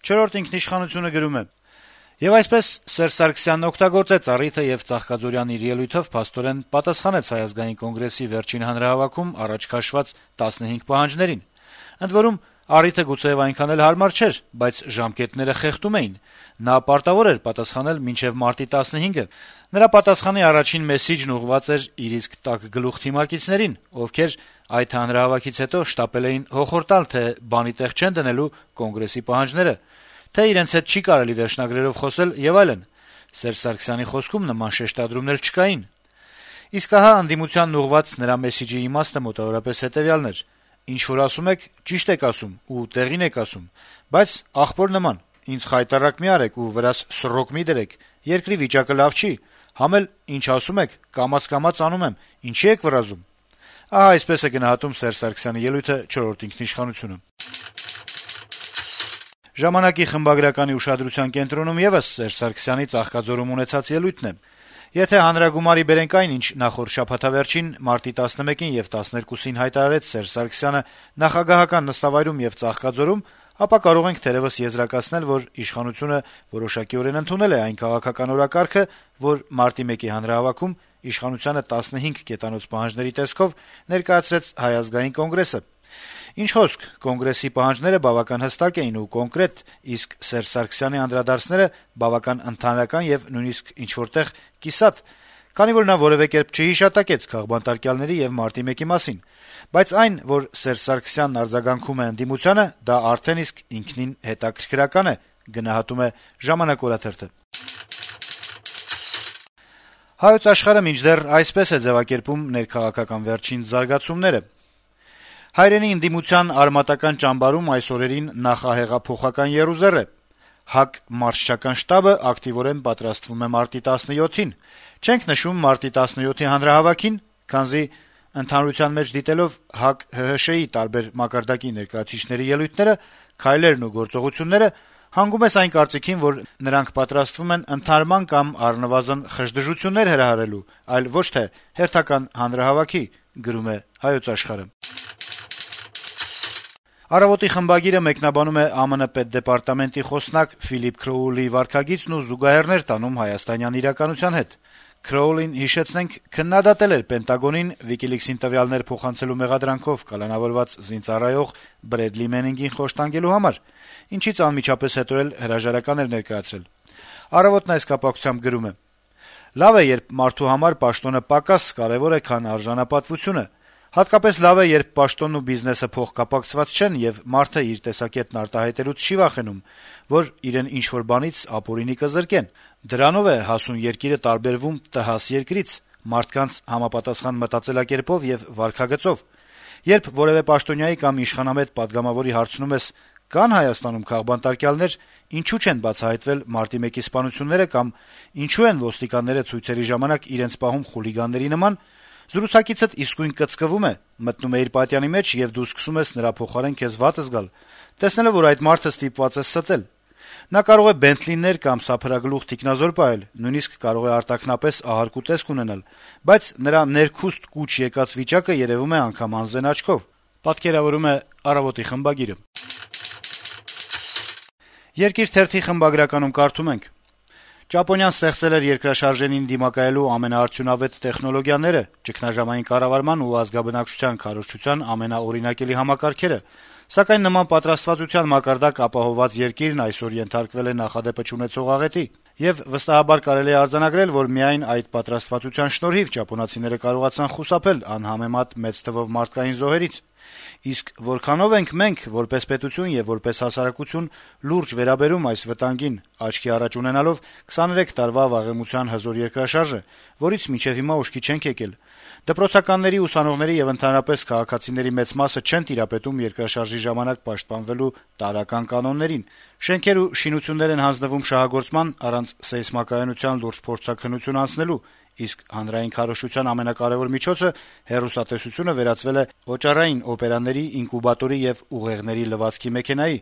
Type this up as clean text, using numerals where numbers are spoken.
Չորրորդ ինքնիշխանությունը գրում է. - «Եվ այսպես Սերժ Սարգսյանն օգտագործեց առիթը եւ Ծաղկաձորյան իր ելույթով փաստորեն պատասխանեց Հայ ազգային կոնգրեսի վերջին հանրահավաքում առաջ քաշված 15 պահանջներին: Ընդ որում, առիթը գուցեեւ այնքան էլ հարմար չէր, բայց ժամկետները խեղդում էին: Նա պարտավոր էր պատասխանել մինչեւ մարտի 15-ը: Նրա պատասխանի առաջին մեսիջն ուղղված էր իր իսկ տաք գլուխ թիմակիցներին, ովքեր այդ հանրահավաքից հետո շտապել էին հոխորտալ, թե բանի տեղ չեն դնելու Կոնգրեսի պահանջները, թե իրենց հետ չի կարելի վերջնագրերով խոսել եւ այլն: Սերժ Սարգսյանի խոսքում նման շեշտադրումներ չկային: Իսկ ահա ընդդիմությանն ուղղված նրա մեսիջի իմաստը մոտավորապես հետեւյալն էր. ինչ որ ասում եք, ճիշտ եք ասում ու տեղին եք ասում, բայց աղբոր նման, ինձ խայտառակ մի արեք ու վրաս սռոկ մի դրեք, երկրի վիճակը լավ չի, համ էլ ինչ ասում եք, կամաց անում եմ, ինչի եք վրազում»: Ահա այսպես է գնահատում Սերժ Սարգսյանի ելույթը «Չորրորդ ինքնիշխանություն»-ը: «Ժամանակ»-ի խմբագրականի ուշադրության կենտրոնում եւս Սերժ Սարգսյանի Ծաղկաձորում ունեցած ելույթն է. - «Եթե հանրագումարի բերենք այն, ինչ նախորդ շաբաթավերջին մարտի 11-ին եւ 12-ին հայտարարեց Սերժ Սարգսյանը նախագահական նստավայրում եւ Ծաղկաձորում, ապա կարող ենք թերեւս եզրակացնել, որ իշխանությունը որոշակիորեն ընդունել է այն քաղաքական օրակարգը, որ մարտի 1-ի հանրահավաքում իշխանությանը 15 կետանոց պահանջների տեսքով ներկայացրեց Հայ ազգային կոնգրեսը: Ինչ խոսք, Կոնգրեսի պահանջները բավական հստակ էին ու կոնկրետ, իսկ Սերժ Սարգսյանի անդրադարձները բավական ընդհանրական եւ նույնիսկ ինչ-որ տեղ կիսատ, քանի որ նա որեւէ կերպ չհիշատակեց քաղբանտարկյալների եւ մարտի 1-ի մասին: Բայց այն, որ Սերժ Սարգսյանն արձագանքում է ընդդիմությանը, դա արդեն իսկ ինքնին հետաքրքրական է», գնահատում է «Ժամանակ» օրաթերթը: «Հայոց Աշխարհ»-ը մինչդեռ այսպես է ձեւակերպում ներքաղաքական վերջին զարգացումները. - «Հայրենի ընդդիմության արմատական ճամբարում այս օրերին նախահեղափոխական եռուզեռ է: ՀԱԿ մարշչական շտաբը ակտիվորեն պատրաստվում է մարտի 17-ին: Չենք նշում մարտի 17-ի հանրահավաքին, քանզի ընդհանրության մեջ դիտելով ՀԱԿ-ՀՀՇ-ի տարբեր մակարդակի ներկայացուցիչների ելույթները, քայլերն ու գործողությունները, հանգում ես այն կարծիքին, որ նրանք պատրաստվում են ընդհանրման կամ առնվազն խժդժություններ հրահրելու, այլ ոչ թե հերթական հանրահավաքի»: «Առավոտ»-ի խմբագիրը մեկնաբանում է ԱՄՆ պետդեպարտամենտի խոսնակ Ֆիլիպ Քրոուլի վարքագիծն ու զուգահեռներ տանում հայաստանյան իրականության հետ: Քրոուլին, հիշեցնենք, քննադատել էր Պենտագոնին WikiLeaks-ին տվյալներ փոխանցելու մեղադրանքով կալանավորված զինծառայող Բրեդլի Մենինգին խոշտանգելու համար, ինչից անմիջապես հետո էլ հրաժարական էր ներկայացրել: «Առավոտ»-ն այս կապակցությամբ գրում է. - «Լավ է, երբ մարդու համար պաշտոնը պակաս կարեւոր է, քան արժանապատվությունը: Հատկապես լավ է, երբ պաշտոնն ու բիզնեսը փոխկապակցված չեն, եւ մարդը իր տեսակետն արտահայտելուց չի վախենում, որ իրեն ինչ-որ բանից ապօրինի կզրկեն: Դրանով է հասուն երկիրը տարբերվում տհաս երկրից՝ մարդկանց համապատասխան մտածելակերպով եւ վարքագծով: Երբ որեւէ պաշտոնյայի կամ իշխանամետ պատգամավորի հարցնում ես՝ կա՞ն Հայաստանում քաղբանտարկյալներ, ինչու չեն բացահայտվել մարտի 1-ի սպանությունները կամ ինչու են ոստիկանները ցույցերի ժամանակ իրենց պահում խուլիգանների նման, զրուցակիցդ իսկույն կծկվում է, մտնում է իր պատյանի մեջ, եւ դու սկսում ես նրա փոխարեն քեզ վատ զգալ, տեսնելով, որ այդ մարդը ստիպված է ստել: Նա կարող է Բենթլիներ կամ սափրագլուխ թիկնազոր պահել, նույնիսկ կարող է արտաքնապես ահարկ ու տեսք ունենալ, բայց նրա ներքուստ կուչ եկած վիճակը երեւում է անգամ անզեն աչքով»: «Երկիր» թերթի խմբագրականում կարդում ենք. - «Ճապոնիան ստեղծել էր երկրաշարժերին դիմակայելու ամենաարդյունավետ տեխնոլոգիաները, ճգնաժամային կառավարման ու ազգաբնակչության քարոզչության ամենաօրինակելի համակարգերը, սակայն նման պատրաստվածության մակարդակ ապահովված երկիրն այսօր ենթարկվել է նախադեպը չունեցող աղետի: Եվ վստահաբար կարելի է արձանագրել, որ միայն այդ պատրաստվածության շնորհիվ ճապոնացիները կարողացան խուսափել անհամեմատ մեծ թվով մարդկային զոհերից: Իսկ որքանո՞վ ենք մենք, որպես պետություն եւ որպես հասարակություն, լուրջ վերաբերում այս վտանգին, աչքի առաջ ունենալով 23 տարվա վաղեմության հզոր երկրաշարժը, որից մինչեւ հիմա ուշքի չենք եկել: Դպրոցականների, ուսանողների եւ ընդհանրապես քաղաքացիների մեծ մասը չեն տիրապետում երկրաշարժի ժամանակ պաշտպանվելու տարրական կանոններին: Շենքեր ու շինություններ են հանձնվում շահագործման առանց սեյսմակայանության լուրջ փորձաքննություն անցնելու, իսկ հանրային քարոզչության ամենակարեւոր միջոցը՝ հեռուստատեսությունը վերածվել է օճառային օպերաների, ինկուբատորի եւ ուղեղների լվացքի մեքենայի»: